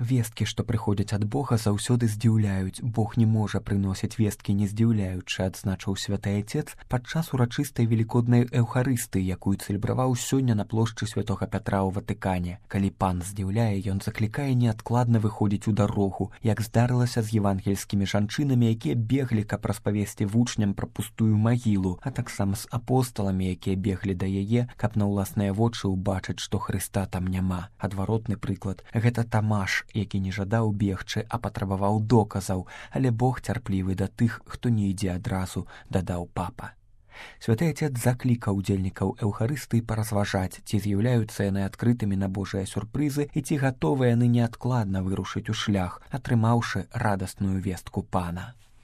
Весткі, што прыходзяць ад Бога, заўсёды здзіўляюць. Бог не можа прыносіць весткі не здзіўляючы, адзначыў святы Айцец падчас урачыстай велікоднай эўхарыстыі, якую цэлебраваў сёння на плошчы святога Пятра ў Ватыкане. Калі пан здзіўляе, ён заклікае неадкладна выходзіць у дарогу, як здарылася з евангельскімі жанчынамі, якія беглі, каб распавесці вучням пра пустую магілу, а таксама з апосталамі, якія беглі да яе, каб на ўласныя вочы ўбачыць, што Хрыста там няма. Адваротны прыклад — гэта Тамаш, які не жадаў бегчы, а патрабаваў доказаў, але Бог цярплівы да тых, хто не ідзе адразу, дадаў папа. Святы Айцец заклікаў удзельнікаў эўхарыстыі паразважаць, ці з'яўляюцца яны адкрытымі на Божыя сюрпрызы і ці гатовыя яны неадкладна вырушыць у шлях, атрымаўшы радасную вестку пана.